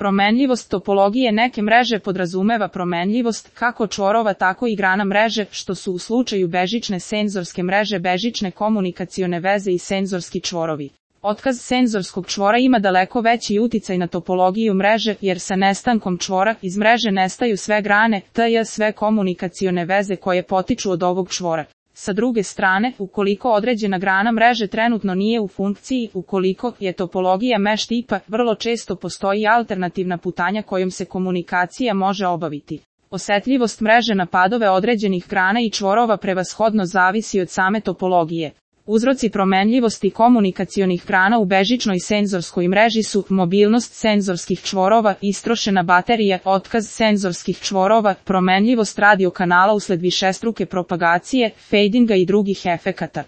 Promenljivost topologije neke mreže podrazumeva promenljivost kako čvorova tako i grana mreže, što su u slučaju bežične senzorske mreže bežične komunikacione veze i senzorski čvorovi. Otkaz senzorskog čvora ima daleko veći uticaj na topologiju mreže, jer sa nestankom čvora iz mreže nestaju sve grane, tj. sve komunikacione veze koje potiču od ovog čvora. Sa druge strane, ukoliko određena grana mreže trenutno nije u funkciji, ukoliko je topologija mesh tipa, vrlo često postoji alternativna putanja kojom se komunikacija može obaviti. Osetljivost mreže na padove određenih grana i čvorova prevashodno zavisi od same topologije. Uzroci promenljivosti komunikacionih grana u bežičnoj senzorskoj mreži su mobilnost senzorskih čvorova, istrošena baterija, otkaz senzorskih čvorova, promenljivost radiokanala usled višestruke propagacije, fadinga i drugih efekata.